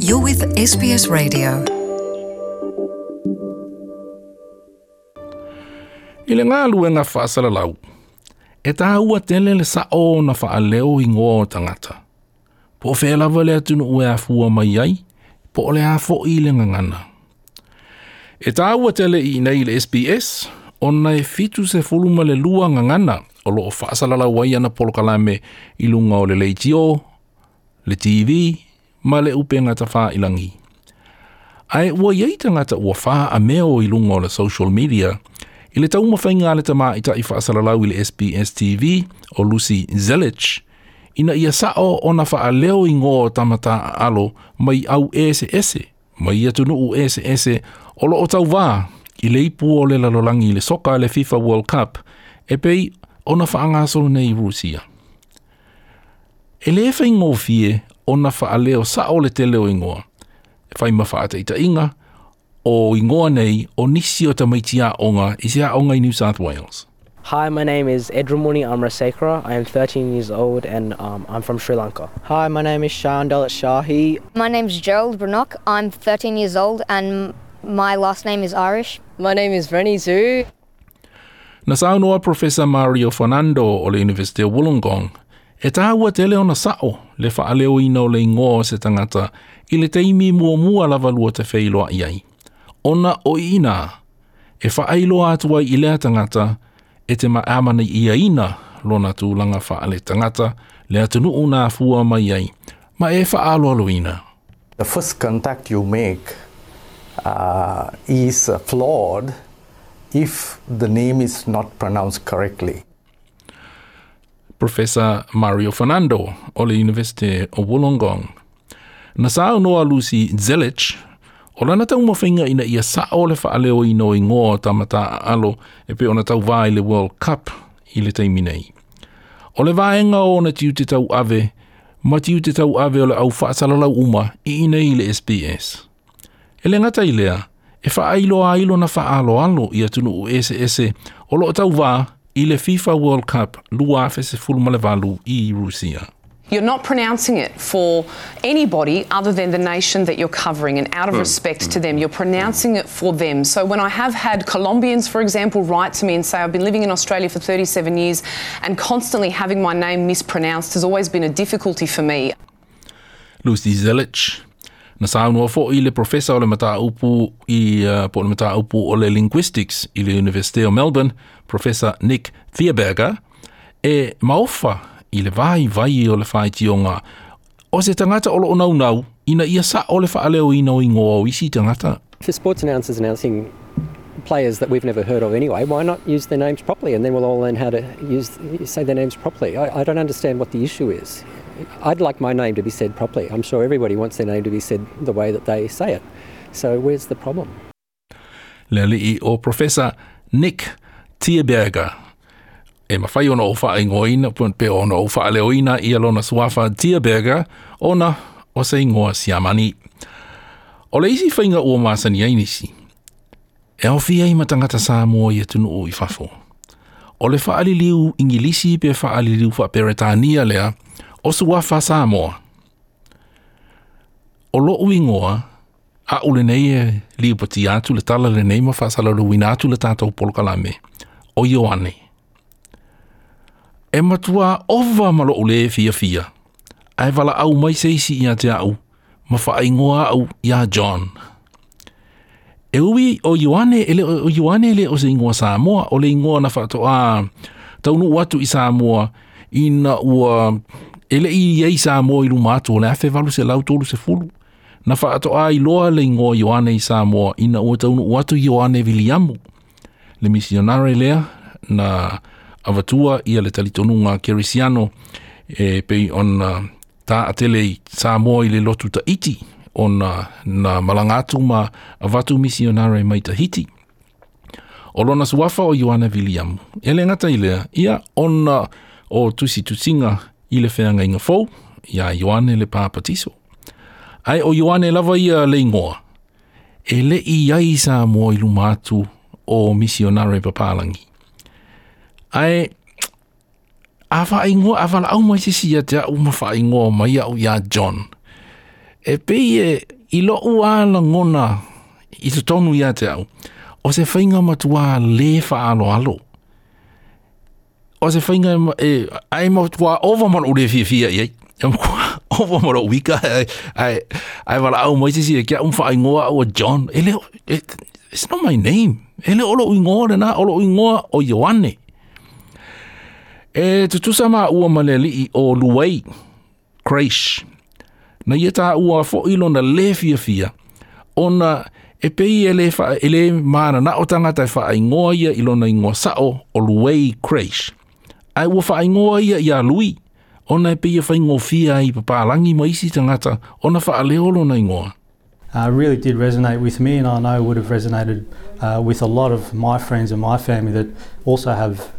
You're with SBS Radio. I le galuega faasalalau, e tāua tele le sa'o ona faaleo igoa o tagata. Po o fea lava le atunuu e afua mai ai, po o le a fo'i le gagana. E tāua tele i inei i le SBS, ona e 72 gagana o loo faasalalau ai ana polokalame i luga o le leitio, le TV, ma le upega tafailagi. Ae ua i ai tagata ua faameo i luga o le social media i le taumafaiga a le tamaitai faasalalau i le SBS TV o Lucy Zelic ina ia sa'o ona faaleo igoa o tama taaalo mai au eseese mai atunuu eseese o loo tauvā i le ipu o le lalolagi i le soka le FIFA World Cup e pei ona faagasolo nei i Rusia. E lē faigofie ona faaleo sa'o le tele o igoa, e fai ma faataitaiga o igoa nei o nisi o tamaiti aoga i se aoga i New South Wales. Hi, my name is Edramuni Amrasekara. I am 13 years old and I'm from Sri Lanka. Hi, my name is Shan Dalit Shahi. My name's Gerald Brannock. I'm 13 years old and my last name is Irish. My name is Rennie Zhu. Na saunoa Professor Mario Fernando o le University o Wollongong, e tāua tele ona sa'o le faaleoina o le igoa o se tagata i le taimi muamua lava lua te feiloai ai. Ona o i ina e faailoa atu ai i lea tagata e te amanaiaina lona tulaga faaletagata le atunuu na afua mai ai, ma e faaaloaloina. The first contact you make is flawed if the name is not pronounced correctly. Professor Mario Fernando o le University o Wollongong. Na saunoa Lucy Zelic, o lana taumafaiga ina ia sa'o le faaleoina o igoa o tama taaalo e pei ona tauvā i le World Cup i le taimi nei. O le vaega o ona tiute tauave ma tiute tauave o le au faasalalau uma i inei i le SBS. E le gata i lea, e faailoa ai lona faaaloalo i atunuu eseese o loo tauvā i le FIFA World Cup 2018 i Rusia. You're not pronouncing it for anybody other than the nation that you're covering, and out of respect to them, you're pronouncing it for them. So when I have had Colombians, for example, write to me and say, I've been living in Australia for 37 years and constantly having my name mispronounced has always been a difficulty for me. Lucy Zelic. Na saunoa fo'i le professor o le mataupu i po o le mataupu o le linguistics i le University of Melbourne, Professor Nick Thieberger, e maofa i le vaivai o le faitioga o se tagata o loo naunau ina ia sa'o le faaleoina o igoa o isi tagata. For sports announcers announcing players that we've never heard of anyway, why not use their names properly, and then we'll all learn how to say their names properly. I don't understand what the issue is. I'd like my name to be said properly. I'm sure everybody wants their name to be said the way that they say it. So where's the problem? Le alii o Professor Nick Thieberger. E mafai ona ou faaigoaina pe ona ou faaleoina ia lona suafa Thieberger ona o se igoa Siamani. O le isi faiga ua masani ai nisi, e aofia ai ma tagata Samoa i atunuu i fafo. O le faaliliu Igilisi pe faaliliu faaperetania lea o suafa Samoa. O lou igoa, a'u lenei e liupatia atu le tala lenei ma faasalalauina atu le tatou polokalame, o Ioane. E matua ova ma lou lē fiafia, ae valaau mai se isi ia te a'u, ma faaigoa a'u iā John. E ui o Ioane, e le o Ioane le o se igoa Samoa, o le igoa na faatoā taunuu atu i Samoa ina ua e le'i i ai Samoa i luma atu o le 1830. Na faatoā iloa le igoa Ioane i Samoa ina ua taunuu atu Ioane Viliamu, le misionare lea na avatua ia le talitonuga kerisiano e pei ona taatele i Samoa i le lotu Tahiti ona na malaga atu ma avatu misionare mai Tahiti. O lona suafa o Ioane Viliamu. E le gata i lea, ia ona o tusitusiga i le feagaiga fou iā Ioane le Papatiso. Ae o Ioane lava ia le igoa, e le'i ai Samoa i luma atu o misionare papalagi. Ae a faaigoa a valaau mai se isi ia te a'u ma faaigoa mai a'u iā John. E pei e i lo'u a lagona i totonu ia te au, o se faiga matuā lē faaaloalo. O se faiga e ae matuā ova ma lo'u lē fiafia i ai. E matuā ova ma lo'u ika ae valaau mai se isi e ke a'u ma faaigoa a'u e John. E le it's not my name. E le o lo'u igoa lenā, o lo'u igoa o Ioane. E tutusa maua ma le ali'i o Luai Crash. Na ia taua fo'i lona lē fiafia, ona e pei e lē faa, e lē manana'o tagata e faaigoa ia i lona igoa sa'o o Luai Crash. Ae ua faaigoa ia iā Lui, ona e pei e faigofie ai i papalagi ma isi tagata ona faaleo lona igoa. Really did resonate with me, and I know would have resonated with a lot of my friends and my family that also have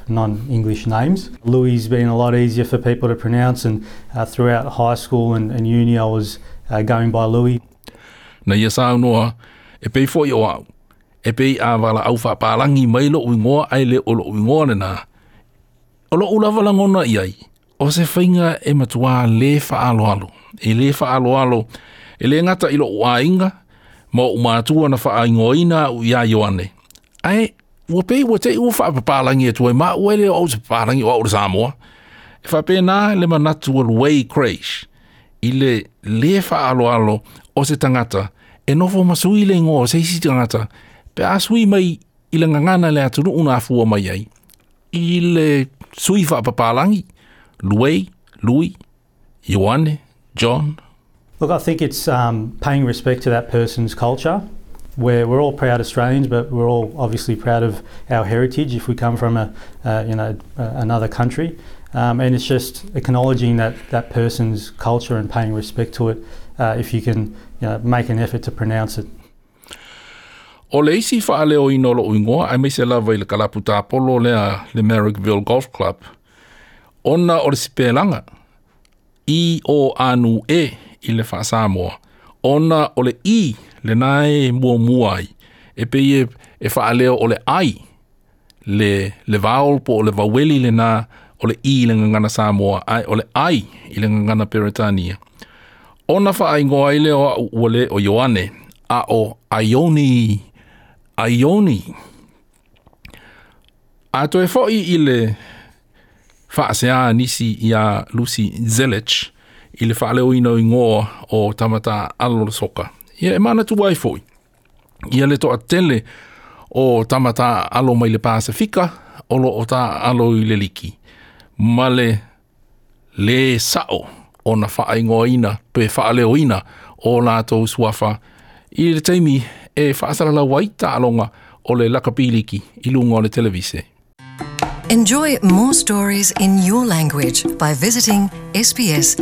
non-English names. Louis been a lot easier for people to pronounce, and throughout high school and uni I was going by Louis. Na ia saunoa, e pei fo'i o a'u, e pei a valaau faapalagi mai lo'u igoa ae le o lo'u igoa lenā. O lo'u lava lagona i ai, o se faiga e matuā lē faaaloalo. E lē faaaloalo, e lē gata i lo'u aiga, ma o'u matua na faaigoaina a'u iā Ioane. Ae, ua pei ua te'i ua faapapalagi atu ai ma a'u e le o a'u se papalagi o a'u le Samoa. E faapena le manatu a Luai Crash i le lē faaaloalo o se tagata e nofo ma sui le igoa o se isi tagata pe a sui mai i le gagana le atunuu na afua mai ai i le sui faapapalagi Luai, Lui, Ioane, John. Look, I think it's paying respect to that person's culture. We're all proud Australians, but we're all obviously proud of our heritage if we come from a you know another country. And it's just acknowledging that person's culture and paying respect to it if you can make an effort to pronounce it. O le isi faaleoina o lo'u igoa aemaise lava i le kalapu tapolo lea le Marrickville Golf Club, ona o le sipelaga I O A N E i le faasamoa, ona o le I lenā e muamua ai, e pei e faaleo o le ai le vowel po o le vaueli lenā o le I i le gagana Samoa, ae o le ai i le gagana Peretania. Ona faaigoa ai lea o a'u ua lē o Ioane, a o Aioni, Aioni. A toe fo'i i le faaseā nisi iā Lucy Zelich i le faaleoina o igoa o tama taaalo o le soka. Ia e manatua ai fo'i ia le toatele o tama taaalo mai le Pasefika o loo taaalo i le liki ma le lē sa'o ona faaigoaina pe faaleoina o latou suafa i le taimi e faasalalau ai taaloga o le lakapi liki i luga o le televise. Enjoy more stories in your language by visiting sbs.com.au.